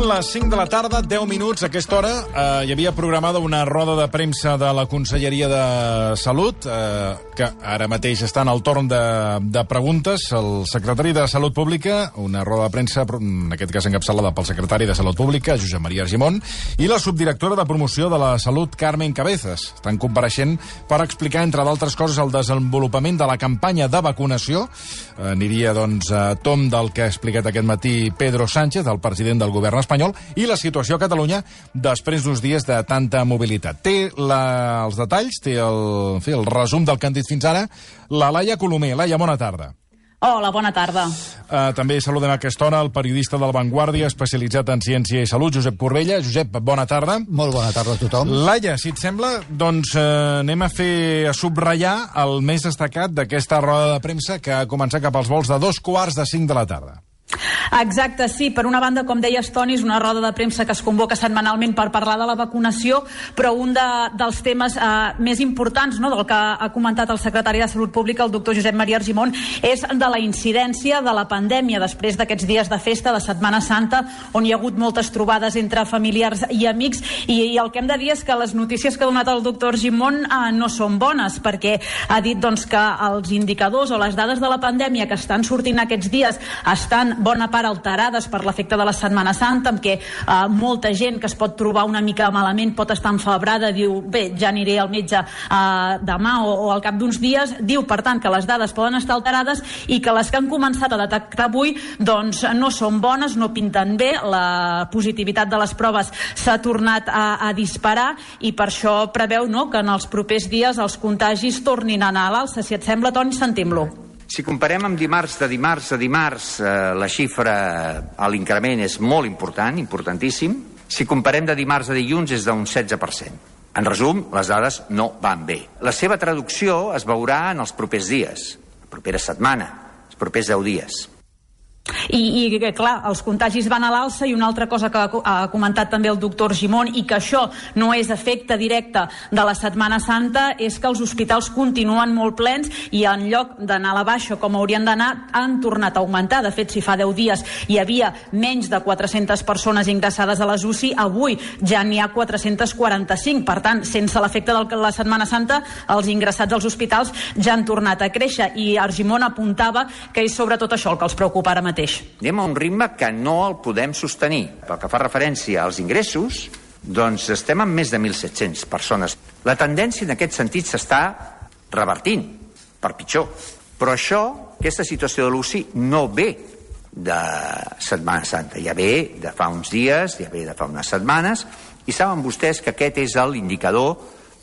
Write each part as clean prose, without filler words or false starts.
les 5 de la tarda, 10 minuts. A aquesta hora hi havia programada una roda de premsa de la Conselleria de Salut, que ara mateix està en el torn de preguntes. El secretari de Salut Pública, una roda de premsa, en aquest cas encapçalada pel secretari de Salut Pública, Josep Maria Argimon, i la subdirectora de Promoció de la Salut, Carmen Cabezas. Estan compareixent per explicar, entre d'altres coses, el desenvolupament de la campanya de vacunació. Aniria, doncs, a tom del que ha explicat aquest matí Pedro Sánchez, el president del govern espanyol, i la situació a Catalunya després d'uns dies de tanta mobilitat. Té els detalls, té el resum del que han dit fins ara, la Laia Colomer. Laia, bona tarda. Hola, bona tarda. També saludem a aquesta hora el periodista de La Vanguardia, especialitzat en ciència i salut, Josep Corbella. Josep, bona tarda. Molt bona tarda a tothom. Laia, si et sembla, doncs anem a subratllar el més destacat d'aquesta roda de premsa que ha començat cap als vols de 2:45 de la tarda. Exacte, sí. Per una banda, com deies, Toni, és una roda de premsa que es convoca setmanalment per parlar de la vacunació, però un dels temes més importants, no?, del que ha comentat el secretari de Salut Pública, el doctor Josep Maria Argimon, és de la incidència de la pandèmia després d'aquests dies de festa, de Setmana Santa, on hi ha hagut moltes trobades entre familiars i amics, i el que hem de dir és que les notícies que ha donat el doctor Argimon no són bones, perquè ha dit, doncs, que els indicadors o les dades de la pandèmia que estan sortint aquests dies estan bona part alterades per l'efecte de la Setmana Santa, amb què molta gent que es pot trobar una mica malament pot estar enfebrada, diu, bé, ja aniré al metge demà o al cap d'uns dies. Diu, per tant, que les dades poden estar alterades i que les que han començat a detectar avui doncs no són bones, no pinten bé. La positivitat de les proves s'ha tornat a disparar i per això preveu, no?, que en els propers dies els contagis tornin a anar a l'alça. Si et sembla, Toni, sentim-lo. Si comparem amb dimarts a dimarts, la xifra a l'increment és molt important, importantíssim. Si comparem de dimarts a dilluns és d'un 16%. En resum, les dades no van bé. La seva traducció es veurà en els propers dies, la propera setmana, els propers 10 dies. I clar, els contagis van a l'alça, i una altra cosa que ha comentat també el doctor Argimon, i que això no és efecte directe de la Setmana Santa, és que els hospitals continuen molt plens i en lloc d'anar a la baixa com haurien d'anar, han tornat a augmentar. De fet, si fa 10 dies hi havia menys de 400 persones ingressades a les UCI, avui ja n'hi ha 445. Per tant, sense l'efecte de la Setmana Santa, els ingressats als hospitals ja han tornat a créixer, i Argimon apuntava que és sobretot això el que els preocupa ara mateix. Anem a un ritme que no el podem sostenir. Pel que fa referència als ingressos, doncs estem amb més de 1.700 persones. La tendència en aquest sentit s'està revertint, per pitjor. Però aquesta situació de l'UCI no ve de Setmana Santa, ja ve de fa uns dies, ja ve de fa unes setmanes, i saben vostès que aquest és l'indicador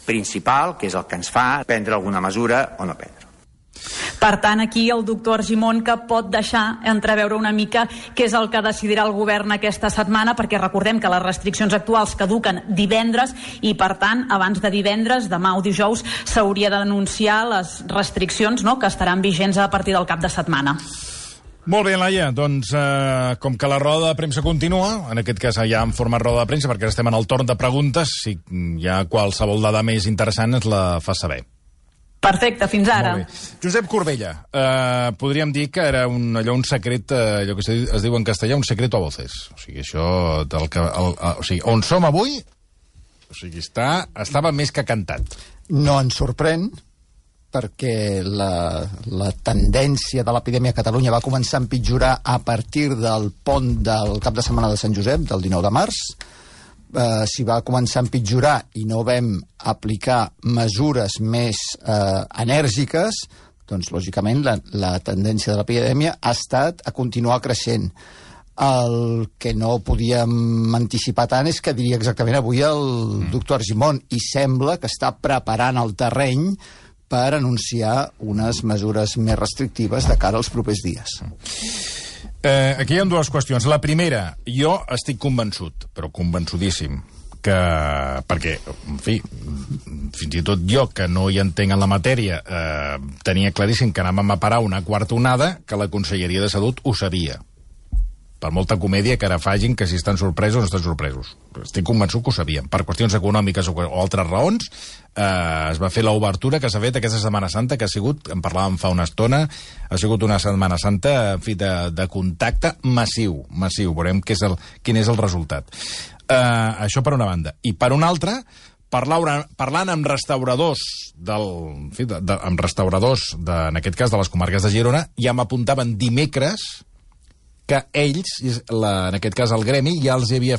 principal, que és el que ens fa prendre alguna mesura o no prendre. Per tant, aquí el doctor Argimon, que pot deixar entreveure una mica què és el que decidirà el govern aquesta setmana, perquè recordem que les restriccions actuals caduquen divendres i, per tant, abans de divendres, demà o dijous, s'hauria d'anunciar les restriccions, no?, que estaran vigents a partir del cap de setmana. Molt bé, Laia, doncs com que la roda de premsa continua, en aquest cas ja en format roda de premsa, perquè estem en el torn de preguntes, si hi ha qualsevol dada més interessant ens la fa saber. Perfecte, fins ara. Josep Corbella, podríem dir que era un secret, allò que es diu en castellà, un secreto a voces. O sigui, això del que... o sigui, on som avui, o sigui, estava més que cantat. No ens sorprèn, perquè la tendència de l'epidèmia a Catalunya va començar a empitjorar a partir del pont del cap de setmana de Sant Josep, del 19 de març. Si va començar a empitjorar i no vam aplicar mesures més enèrgiques, doncs, lògicament, la tendència de l'epidèmia ha estat a continuar creixent. El que no podíem anticipar tant és que diria exactament avui el doctor Argimon, i sembla que està preparant el terreny per anunciar unes mesures més restrictives de cara als propers dies. Aquí hi ha dues qüestions. La primera, jo estic convençut, però convençudíssim, perquè, en fi, fins i tot jo, que no hi entenc en la matèria, tenia claríssim que anàvem a parar una quarta onada, que la Conselleria de Salut ho sabia. per molta comèdia que ara facin, que si estan sorpresos o no estan sorpresos. Estic convençut que ho sabien. Per qüestions econòmiques o altres raons, es va fer l'obertura que s'ha fet aquesta Setmana Santa, que ha sigut, en parlàvem fa una estona, ha sigut una Setmana Santa, en fi, de contacte massiu. Veurem quin és el resultat. Això per una banda. I per una altra, parlant amb restauradors en aquest cas de les comarques de Girona, ja m'apuntaven dimecres que ells, en aquest cas el gremi, ja els havia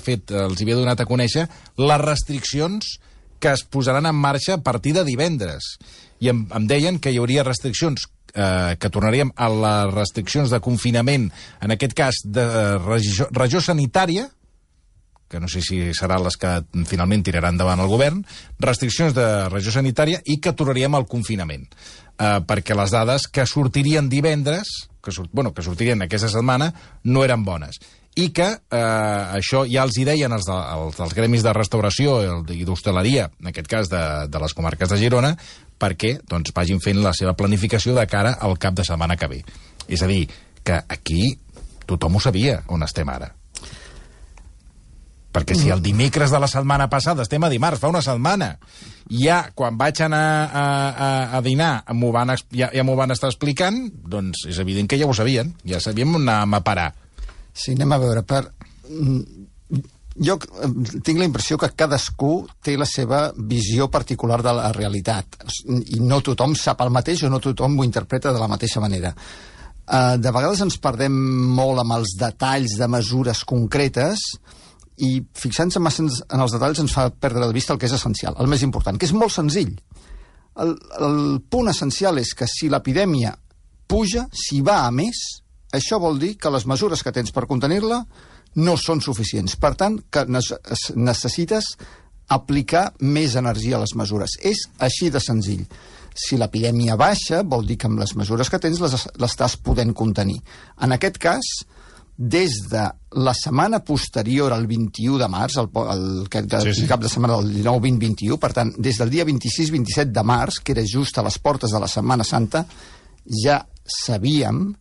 donat a conèixer les restriccions que es posaran en marxa a partir de divendres. I em deien que hi hauria restriccions, que tornaríem a les restriccions de confinament, en aquest cas de regió sanitària, que no sé si seran les que finalment tiraran davant el govern, restriccions de regió sanitària i que tornaríem al confinament. Perquè les dades que sortirien divendres, que sortirien aquesta setmana, no eren bones. I que això ja els hi deien els dels gremis de restauració i d'hostaleria, en aquest cas de les comarques de Girona, perquè vagin fent la seva planificació de cara al cap de setmana que ve. És a dir, que aquí tothom ho sabia on estem ara. Perquè si el dimecres de la setmana passada, estem a dimarts, fa una setmana, ja quan vaig anar a dinar ja m'ho van estar explicant, doncs és evident que ja ho sabien, ja sabíem on anàvem a parar. Sí, anem a veure. Jo tinc la impressió que cadascú té la seva visió particular de la realitat, i no tothom sap el mateix o no tothom ho interpreta de la mateixa manera. De vegades ens perdem molt amb els detalls de mesures concretes, i fixant-se massa en els detalls ens fa perdre de vista el que és essencial, el més important, que és molt senzill. El punt essencial és que si l'epidèmia puja, si va a més, això vol dir que les mesures que tens per contenir-la no són suficients. Per tant, que necessites aplicar més energia a les mesures. És així de senzill. Si l'epidèmia baixa, vol dir que amb les mesures que tens l'estàs podent contenir. En aquest cas, des de la setmana posterior al 21 de març, el cap de setmana del 19-20-21, per tant, des del dia 26-27 de març, que era just a les portes de la Setmana Santa, ja sabíem,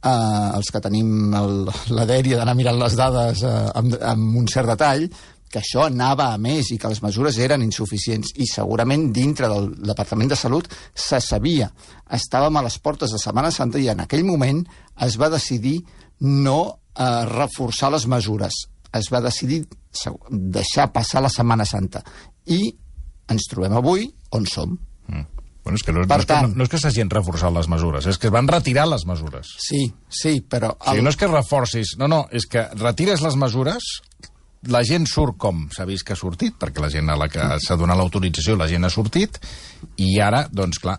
els que tenim la dèria d'anar mirant les dades amb un cert detall, que això anava a més i que les mesures eren insuficients. I segurament dintre del Departament de Salut se sabia. Estàvem a les portes de Setmana Santa i en aquell moment es va decidir no reforçar les mesures. Es va decidir deixar passar la Setmana Santa. I ens trobem avui on som. Bueno, és que no és que s'hagin reforçat les mesures, és que es van retirar les mesures. Sí, però... O sigui, no és que reforcis, no, és que retires les mesures, la gent surt com s'ha vist que ha sortit, perquè la gent a la que s'ha donat l'autorització, la gent ha sortit, i ara, doncs clar,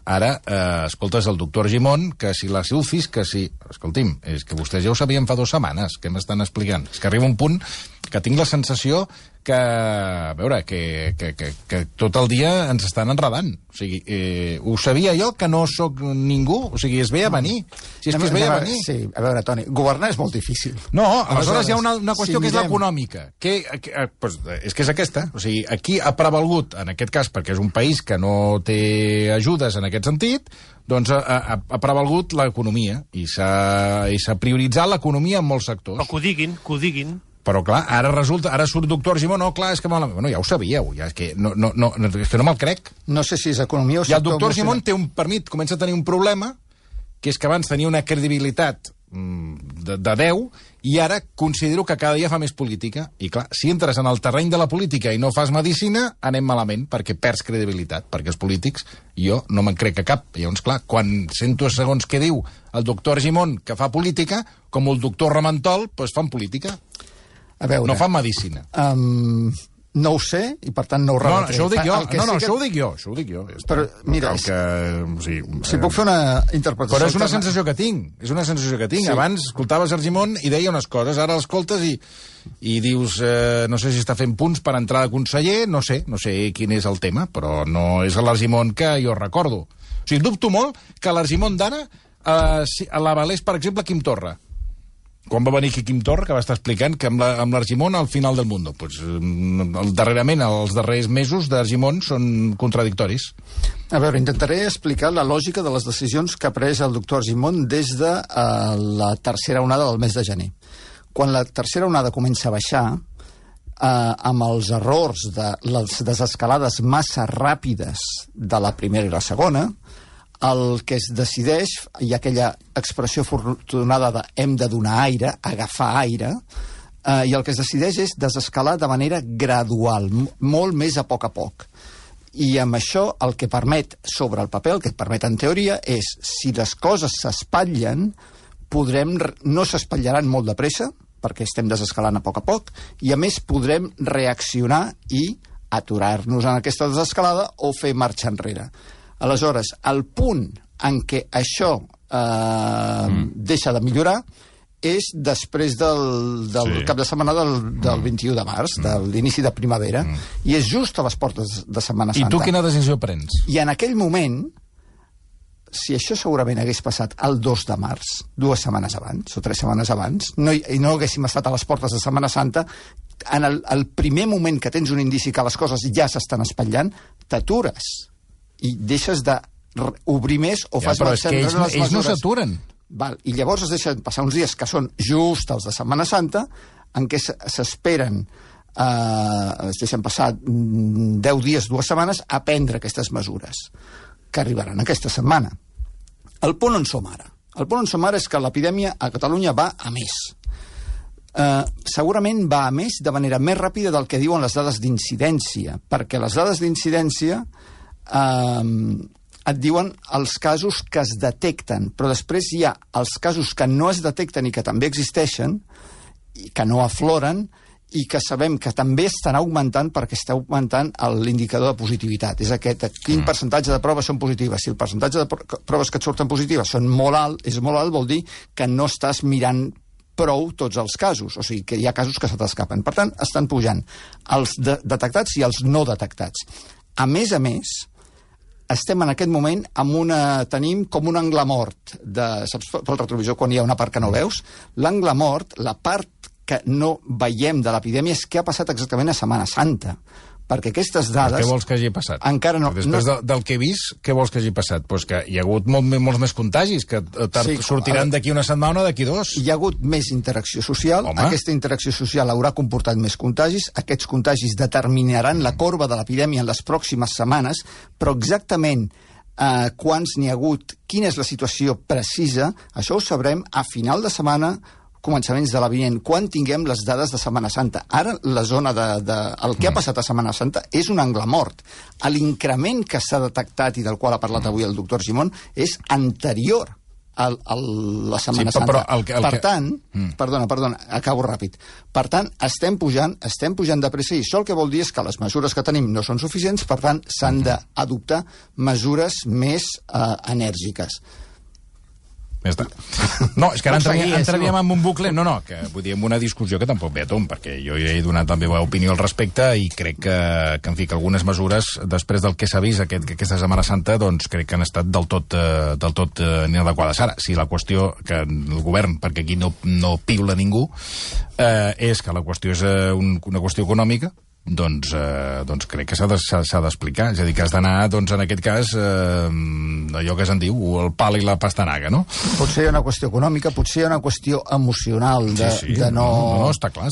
escoltes el doctor Argimon, que si la Silfis, que si... Escolti'm, és que vostès ja ho sabien fa 2 setmanes, què m'estan explicant? És que arriba un punt que tinc la sensació que, a veure, que tot el dia ens estan enredant. O sigui, ho sabia jo, que no sóc ningú, o sigui, es ve a venir. Si és que es ve a venir. Sí, a veure, Toni, governar és molt difícil. No, aleshores hi ha una qüestió que és l'econòmica, és que és aquesta. O sigui, aquí ha prevalgut, en aquest cas, perquè és un país que no té ajudes en aquest sentit, doncs ha prevalgut l'economia i s'ha prioritzat l'economia en molts sectors. Però que ho diguin. Però clar, ara surt doctor Argimon, no, clar, és que malament. Bueno, ja ho sabíeu, és que no me'l crec. No sé si és economia o sector... I el doctor Argimon comença a tenir un problema, que és que abans tenia una credibilitat de 10, i ara considero que cada dia fa més política. I clar, si entres en el terreny de la política i no fas medicina, anem malament, perquè perds credibilitat, perquè els polítics, jo no me'n crec a cap. Llavors, clar, quan sento segons què diu el doctor Argimon que fa política, com el doctor Ramentol, doncs fan política. A veure, no fan medicina. No ho sé, i per tant no ho rebatré. Això ho dic jo. Això ho dic jo. Però, mira, si puc fer una interpretació... Però és una sensació que tinc. Sí. Abans escoltaves Argimon i deia unes coses, ara l'escoltes i dius, no sé si està fent punts per entrar de conseller, no sé quin és el tema, però no és l'Argimon que jo recordo. O sigui, dubto molt que l'Argimon d'ara l'avalés, per exemple, Quim Torra. Quan va venir aquí Quim Torra, que va estar explicant que amb l'Argimon al final del món. Pues, darrerament, els darrers mesos d'Argimon són contradictoris. A veure, intentaré explicar la lògica de les decisions que ha pres el doctor Argimon des de la tercera onada del mes de gener. Quan la tercera onada comença a baixar, amb els errors de les desescalades massa ràpides de la primera i la segona, el que es decideix, hi ha aquella expressió afortunada de hem de donar aire, agafar aire, i el que es decideix és desescalar de manera gradual, molt més a poc. I amb això el que permet sobre el paper, el que permet en teoria, és si les coses s'espatllen, no s'espatllaran molt de pressa, perquè estem desescalant a poc, i a més podrem reaccionar i aturar-nos en aquesta desescalada o fer marxa enrere. Aleshores, el punt en què això deixa de millorar és després del cap de setmana del 21 de març, de l'inici de primavera, i és just a les portes de Setmana Santa. I tu quina decisió prens? I en aquell moment, si això segurament hagués passat el 2 de març, 2 setmanes abans, o 3 setmanes abans, i no haguéssim estat a les portes de Setmana Santa, en el primer moment que tens un indici que les coses ja s'estan espatllant, t'atures i deixes d'obrir més o fas marxa enrere les mesures. Ells no s'aturen. I llavors es deixen passar uns dies que són just els de Setmana Santa, en què s'esperen, es deixen passar 10 dies, 2 setmanes, a prendre aquestes mesures, que arribaran aquesta setmana. El punt on som ara? El punt on som ara és que l'epidèmia a Catalunya va a més. Segurament va a més de manera més ràpida del que diuen les dades d'incidència, perquè les dades d'incidència et diuen els casos que es detecten, però després hi ha els casos que no es detecten i que també existeixen, i que no afloren, i que sabem que també estan augmentant perquè està augmentant l'indicador de positivitat. És quin percentatge de proves són positives. Si el percentatge de proves que et surten positives és molt alt, vol dir que no estàs mirant prou tots els casos, o sigui que hi ha casos que se t'escapen. Per tant, estan pujant els detectats i els no detectats. A més, estem en aquest moment tenim com un angle mort, saps, pel retrovisor quan hi ha una part que no veus? L'angle mort, la part que no veiem de l'epidèmia és què ha passat exactament a Setmana Santa, perquè aquestes dades... Què vols que hagi passat? Encara no... Després del que he vist, què vols que hagi passat? Pues que hi ha hagut molts més contagis, que sortiran d'aquí una setmana o d'aquí 2. Hi ha hagut més interacció social. Home. Aquesta interacció social haurà comportat més contagis. Aquests contagis determinaran la corba de l'epidèmia en les pròximes setmanes, però exactament quants n'hi ha hagut, quina és la situació precisa, això ho sabrem a final de setmana, començaments de la vinent, quan tinguem les dades de Setmana Santa. Ara, la zona el que ha passat a Setmana Santa és un angle mort. L'increment que s'ha detectat i del qual ha parlat avui el doctor Gimón és anterior a la Setmana Santa. Per tant, perdona, acabo ràpid. Per tant, estem pujant de pressa, i això el que vol dir és que les mesures que tenim no són suficients, per tant, s'han d'adoptar mesures més enèrgiques. No, és que ara entraríem en un bucle, que vull dir, en una discussió que tampoc ve a tom, perquè jo ja he donat la meva opinió al respecte i crec que en fi, que algunes mesures, després del que s'ha vist aquesta Setmana Santa, doncs crec que han estat del tot inadequades. Ara, si la qüestió que el govern, perquè aquí no piula ningú, és que la qüestió és una qüestió econòmica, doncs crec que s'ha d'explicar. És a dir, que has d'anar, en aquest cas, allò que se'n diu, el pal i la pastanaga, no? Potser hi ha una qüestió econòmica, potser hi ha una qüestió emocional de no... No, està clar.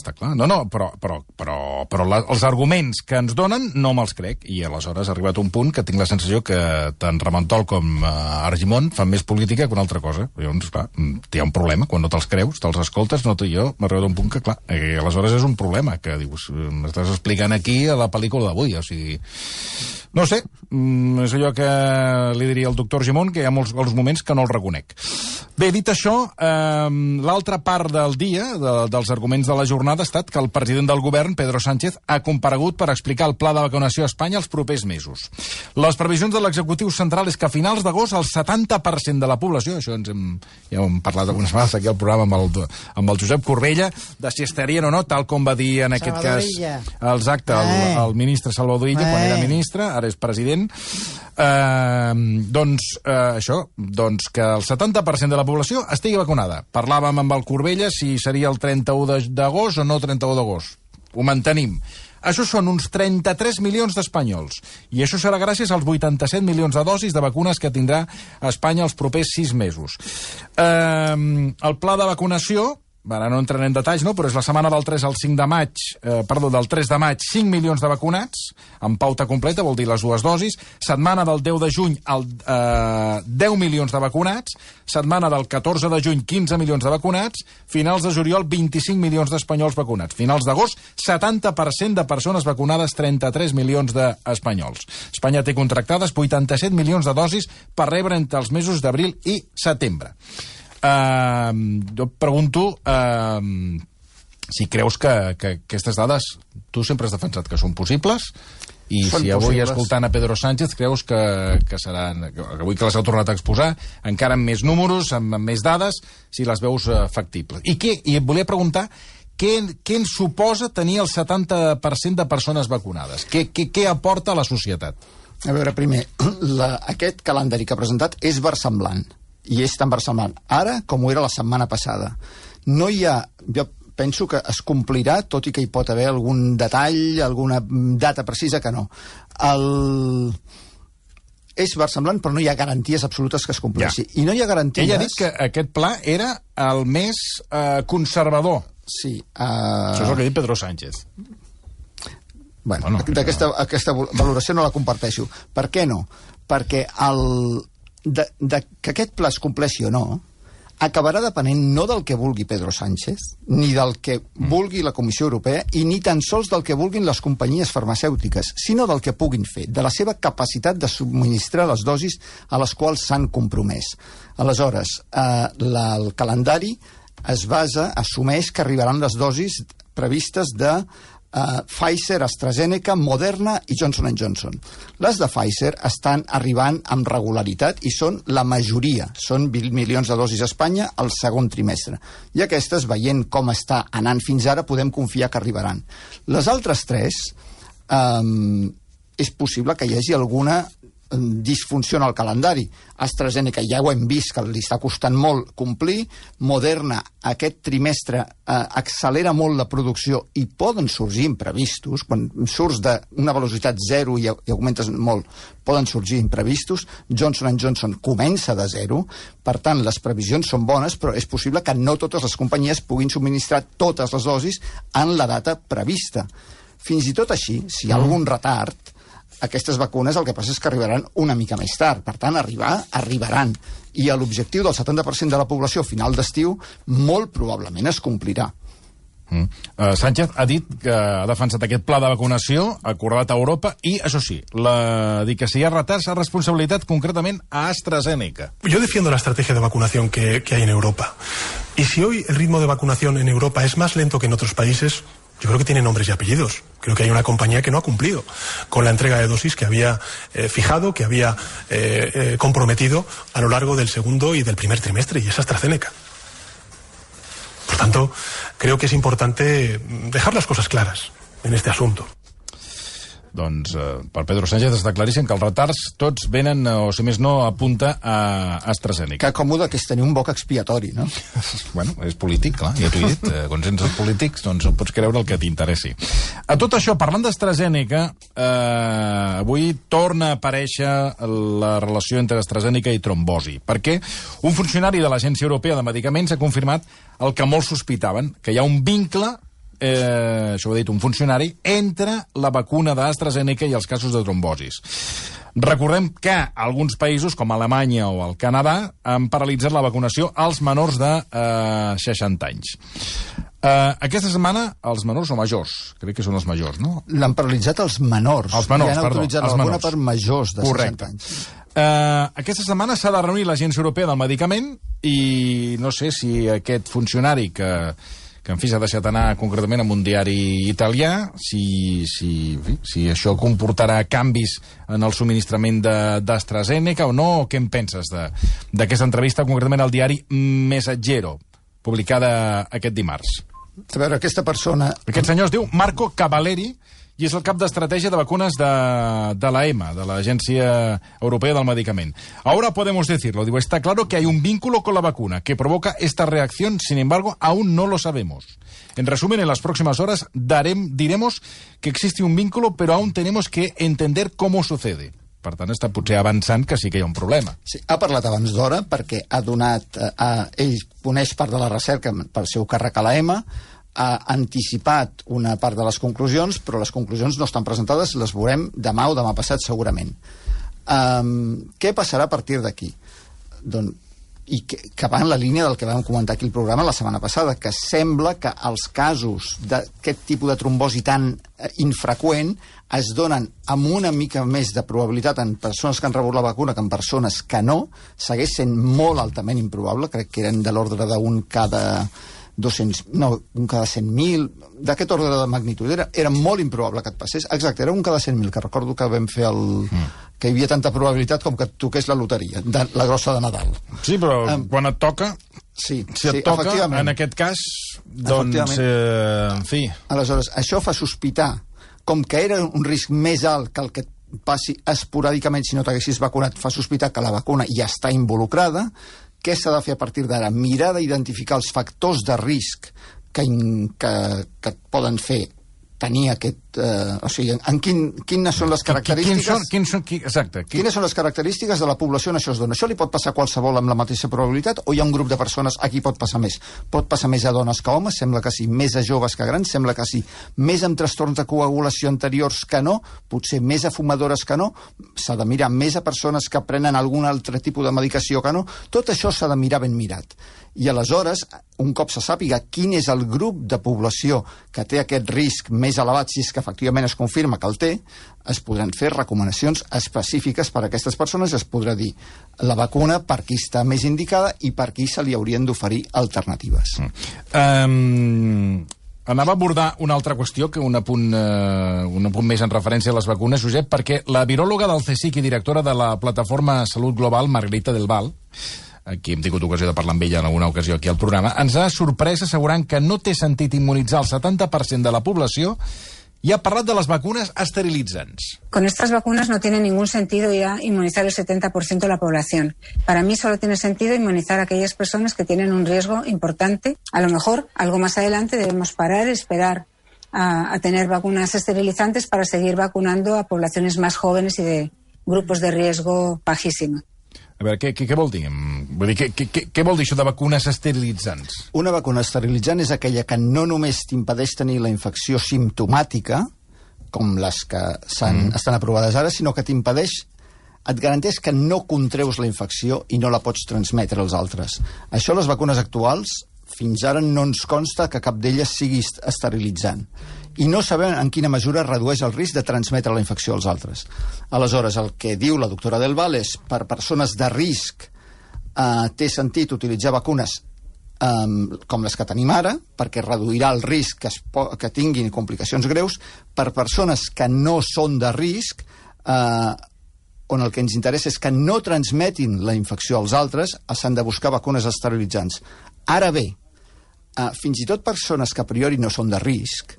Però els arguments que ens donen no me'ls crec, i aleshores ha arribat un punt que tinc la sensació que tant Ramentol com Argimon fan més política que una altra cosa. Llavors, clar, hi ha un problema, quan no te'ls creus, te'ls escoltes, no tu i jo, m'ha arribat un punt que, clar, aleshores és un problema, que dius, m'estàs explicant aquí a la pel·lícula d'avui, o sigui... No sé, és allò que li diria al doctor Gimón, que hi ha molts moments que no el reconec. Bé, dit això, l'altra part del dia, dels arguments de la jornada, ha estat que el president del govern, Pedro Sánchez, ha comparegut per explicar el pla de vacunació a Espanya els propers mesos. Les previsions de l'executiu central és que a finals d'agost el 70% de la població, això ja hem parlat algunes vegades aquí al programa amb el Josep Corbella, de si estarien o no, tal com va dir en aquest cas el ministre Salvador Illa, quan era ministre, ara és president, això, que el 70% de la població estigui vacunada. Parlàvem amb el Corbella si seria el 31 d'agost o no 31 d'agost. Ho mantenim. Això són uns 33 milions d'espanyols. I això serà gràcies als 87 milions de dosis de vacunes que tindrà Espanya els propers 6 mesos. El pla de vacunació ara no entraré en detalls, no? Però és la setmana del 3 al 5 de maig, del 3 de maig, 5 milions de vacunats, amb pauta completa, vol dir les dues dosis. Setmana del 10 de juny, 10 milions de vacunats. Setmana del 14 de juny, 15 milions de vacunats. Finals de juliol, 25 milions d'espanyols vacunats. Finals d'agost, 70% de persones vacunades, 33 milions d'espanyols. Espanya té contractades 87 milions de dosis per rebre entre els mesos d'abril i setembre. Jo pregunto si creus que aquestes dades tu sempre has defensat que són possibles i són si avui possibles. Escoltant a Pedro Sánchez creus que seran, que avui que les heu tornat a exposar encara amb més números, amb més dades, si les veus factibles. I et volia preguntar què ens suposa tenir el 70% de persones vacunades? Què aporta a la societat? A veure, primer, aquest calendari que ha presentat és versemblant. I és tan versemblant ara com ho era la setmana passada. No hi ha... Jo penso que es complirà, tot i que hi pot haver algun detall, alguna data precisa que no. És versemblant, però no hi ha garanties absolutes que es compleixi. Ja. I no hi ha garanties... Ella ha dit que aquest pla era el més conservador. Sí. Això és el que ha dit Pedro Sánchez. Bueno, aquesta valoració no la comparteixo. Per què no? Perquè que aquest pla es compleixi o no acabarà depenent no del que vulgui Pedro Sánchez, ni del que vulgui la Comissió Europea, i ni tan sols del que vulguin les companyies farmacèutiques, sinó del que puguin fer, de la seva capacitat de subministrar les dosis a les quals s'han compromès. Aleshores, el calendari es assumeix que arribaran les dosis previstes de Pfizer, AstraZeneca, Moderna i Johnson & Johnson. Les de Pfizer estan arribant amb regularitat i són la majoria. Són 20 milions de dosis a Espanya al segon trimestre. I aquestes, veient com està anant fins ara, podem confiar que arribaran. Les altres tres, és possible que hi hagi alguna disfunció en el calendari. AstraZeneca ja ho hem vist que li està costant molt complir. Moderna aquest trimestre accelera molt la producció i poden sorgir imprevistos. Quan surts d'una velocitat zero i augmentes molt, poden sorgir imprevistos. Johnson & Johnson comença de zero. Per tant, les previsions són bones, però és possible que no totes les companyies puguin subministrar totes les dosis en la data prevista. Fins i tot així, si hi ha algun retard, aquestes vacunes el que passa és que arribaran una mica més tard. Per tant, arribaran. I l'objectiu del 70% de la població a final d'estiu molt probablement es complirà. Sánchez ha dit que ha defensat aquest pla de vacunació acordat a Europa i, això sí, dir que si hi ha retards ha responsabilitat concretament a AstraZeneca. Yo defiendo la estrategia de vacunación que hay en Europa. Y si hoy el ritmo de vacunación en Europa es más lento que en otros países, yo creo que tiene nombres y apellidos. Creo que hay una compañía que no ha cumplido con la entrega de dosis que había fijado, que había comprometido a lo largo del segundo y del primer trimestre, y es AstraZeneca. Por tanto, creo que es importante dejar las cosas claras en este asunto. Doncs per Pedro Sánchez està claríssim que els retards tots venen, o si més no, apunta a AstraZeneca. Que còmode que és tenir un boc expiatori, no? Bueno, és polític, clar, ja t'ho he dit. Quan sents els polítics, doncs pots creure el que t'interessi. A tot això, parlant d'AstraZeneca, avui torna a aparèixer la relació entre AstraZeneca i trombosi, perquè un funcionari de l'Agència Europea de Medicaments ha confirmat el que molts sospitaven, que hi ha un vincle, això ho ha dit un funcionari, entre la vacuna d'AstraZeneca i els casos de trombosis. Recordem que alguns països, com Alemanya o el Canadà, han paralitzat la vacunació als menors de 60 anys. Aquesta setmana, els menors o majors? Crec que són els majors, no? L'han paralitzat els menors. Els menors, perdó. Han autoritzat la vacuna per majors de 60 anys. Aquesta setmana s'ha de reunir l'Agència Europea del Medicament i no sé si aquest funcionari que en fi s'ha deixat anar concretament amb un diari italià, si això comportarà canvis en el subministrament d'AstraZeneca o no, o què en penses d'aquesta entrevista, concretament al diari Messaggero, publicada aquest dimarts? A veure, aquesta persona... Aquest senyor es diu Marco Cavalleri i és el cap d'estratègia de vacunas de la EMA, de la Agencia Europea del Medicament. Ahora podemos decirlo, digo, está claro que hay un vínculo con la vacuna que provoca esta reacción, sin embargo, aún no lo sabemos. En resumen, en las próximas horas diremos que existe un vínculo, pero aún tenemos que entender cómo sucede. Per tant, està potser avançant que sí que hi ha un problema. Sí, ha parlat abans d'hora perquè ha donat... ell coneix part de la recerca pel seu càrrec a l'EMA, ha anticipat una part de les conclusions, però les conclusions no estan presentades, les veurem demà o demà passat segurament. Què passarà a partir d'aquí? Doncs, i que va en la línia del que vam comentar aquí al programa la setmana passada, que sembla que els casos d'aquest tipus de trombosi tan infreqüent es donen amb una mica més de probabilitat en persones que han rebut la vacuna que en persones que no. Segueix sent molt altament improbable, crec que eren de l'ordre d'un cada 200, no, un cada 100.000, d'aquest ordre de magnitud. Era molt improbable que et passés. Exacte, era un cada 100.000, que recordo que vam fer que hi havia tanta probabilitat com que et toqués la loteria, la grossa de Nadal. Sí, però quan et toca... Sí, si et toca, en aquest cas, doncs, en fi... Aleshores, això fa sospitar, com que era un risc més alt que el que passi esporàdicament si no t'haguessis vacunat, fa sospitar que la vacuna ja està involucrada. Què s'ha de fer a partir d'ara? Mirar d'identificar els factors de risc que et poden fer tenir aquest... o sigui, quines són les característiques... Quines són les característiques de la població on això es dona? Això li pot passar a qualsevol amb la mateixa probabilitat o hi ha un grup de persones a qui pot passar més? Pot passar més a dones que a homes? Sembla que sí. Més a joves que a grans? Sembla que sí. Més amb trastorns de coagulació anteriors que no? Potser més a fumadores que no? S'ha de mirar més a persones que prenen algun altre tipus de medicació que no? Tot això s'ha de mirar ben mirat. I aleshores, un cop se sàpiga quin és el grup de població que té aquest risc més elevat, si és que efectivament es confirma que el té, es podran fer recomanacions específiques per a aquestes persones, es podrà dir la vacuna per qui està més indicada i per qui se li haurien d'oferir alternatives. Anava a abordar una altra qüestió, que un apunt més en referència a les vacunes, Josep, perquè la viròloga del CSIC i directora de la plataforma Salut Global, Margarita del Val, aquí hem tingut ocasió de parlar amb ella en alguna ocasió aquí al programa, ens ha sorprès assegurant que no té sentit immunitzar el 70% de la població y ha parlat de las vacunas esterilitzants. Con estas vacunas no tiene ningún sentido ya inmunizar el 70% de la población. Para mí solo tiene sentido inmunizar a aquellas personas que tienen un riesgo importante. A lo mejor, algo más adelante, debemos parar, esperar a tener vacunas esterilizantes para seguir vacunando a poblaciones más jóvenes y de grupos de riesgo bajísimo. A veure, què vol dir? Vull dir, què vol dir això de vacunes esterilitzants? Una vacuna esterilitzant és aquella que no només t'impedeix tenir la infecció simptomàtica, com les que estan aprovades ara, sinó que t'impedeix, et garanteix que no contreus la infecció i no la pots transmetre als altres. Això, les vacunes actuals, fins ara no ens consta que cap d'elles sigui esterilitzant. I no sabem en quina mesura redueix el risc de transmetre la infecció als altres. Aleshores, el que diu la doctora Del Val és per persones de risc té sentit utilitzar vacunes com les que tenim ara, perquè reduirà el risc que tinguin complicacions greus. Per persones que no són de risc, on el que ens interessa és que no transmetin la infecció als altres, s'han de buscar vacunes esterilitzants. Ara bé, fins i tot persones que a priori no són de risc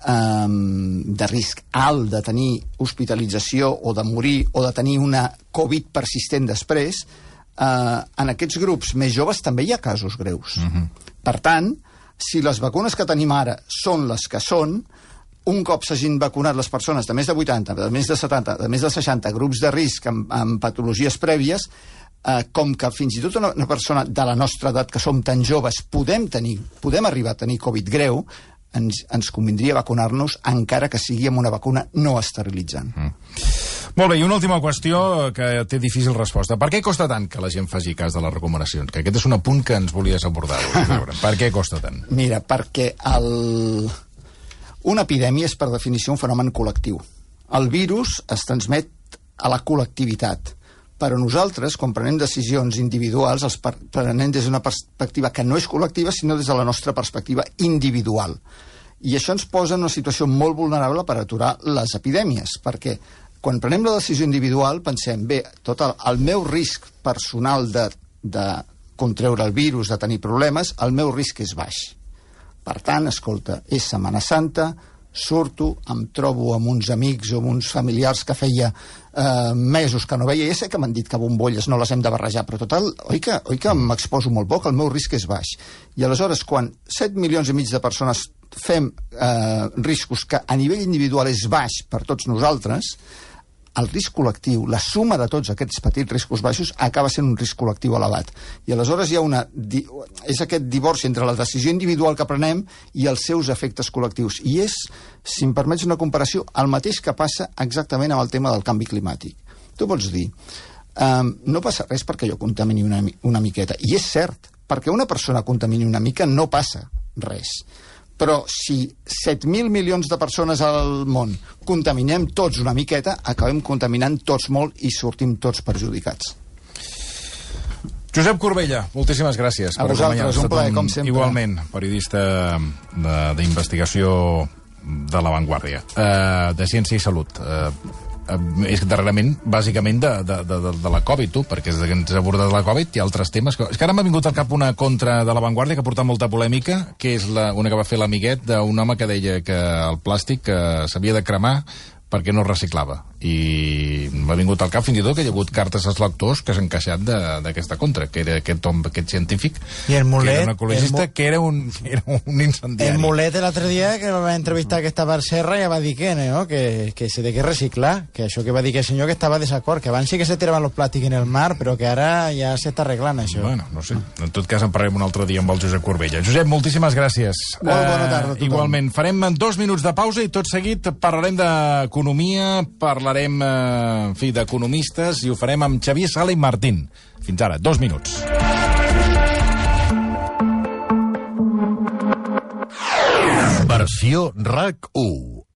alt de tenir hospitalització o de morir o de tenir una Covid persistent després, en aquests grups més joves també hi ha casos greus. Per tant, si les vacunes que tenim ara són les que són, un cop s'hagin vacunat les persones de més de 80, de més de 70, de més de 60, grups de risc amb patologies prèvies, com que fins i tot una persona de la nostra edat, que som tan joves, podem arribar a tenir Covid greu, ens convindria vacunar-nos encara que sigui amb una vacuna no esterilitzant. Molt bé, i una última qüestió que té difícil resposta. Per què costa tant que la gent faci cas de les recomanacions? Que aquest és un apunt que ens volies abordar. Per què costa tant? Mira, perquè una epidèmia és per definició un fenomen col·lectiu. El virus es transmet a la col·lectivitat. Però nosaltres, quan prenem decisions individuals, els prenem des d'una perspectiva que no és col·lectiva, sinó des de la nostra perspectiva individual. I això ens posa en una situació molt vulnerable per aturar les epidèmies, perquè quan prenem la decisió individual pensem, bé, tot el meu risc personal de contreure el virus, de tenir problemes, el meu risc és baix. Per tant, escolta, és Setmana Santa, surto, em trobo amb uns amics o amb uns familiars que feia mesos que no veia. Ja sé que m'han dit que bombolles no les hem de barrejar, però total, oi que m'exposo molt poc, el meu risc és baix. I aleshores, quan 7 milions i mig de persones fem riscos que a nivell individual és baix per tots nosaltres, el risc col·lectiu, la suma de tots aquests petits riscos baixos, acaba sent un risc col·lectiu elevat. I aleshores hi ha és aquest divorci entre la decisió individual que prenem i els seus efectes col·lectius. I és, si em permets una comparació, el mateix que passa exactament amb el tema del canvi climàtic. Tu pots dir, no passa res perquè jo contamini una miqueta. I és cert, perquè una persona contamini una mica no passa res. Però si 7.000 milions de persones al món contaminem tots una miqueta, acabem contaminant tots molt i sortim tots perjudicats. Josep Corbella, moltíssimes gràcies. A vosaltres, un plaer, com sempre. Igualment, periodista d'investigació de La Vanguardia, de Ciència i Salut. És darrerament, bàsicament, de la Covid, perquè des que ens ha abordat la Covid hi ha altres temes. És que ara m'ha vingut al cap una contra de La Vanguardia que ha portat molta polèmica, que és una que va fer l'amiguet d'un home que deia que el plàstic s'havia de cremar perquè no reciclava. I m'ha vingut al cap fins i tot que hi ha hagut cartes als lectors que s'han queixat d'aquesta contra, que era aquest científic, que era un ecologista, que era un incendiari. El Mulet l'altre dia, que va entrevistar que estava al Serra, ja va dir que se té que reciclar, que això que va dir que el senyor que estava desacord, que abans sí que se tiraven els plàstics en el mar, però que ara ja s'està arreglant això. Bueno, no sé. En tot cas en parlarem un altre dia amb el Josep Corbella. Josep, moltíssimes gràcies. Molt bona tarda a tothom. Igualment, farem 2 minuts de pausa i tot seguit parlarem d'economia, parlarem en fi, d'economistes, i ho farem amb Xavier Sala i Martín. Fins ara, 2 minuts. Versió RAC 1.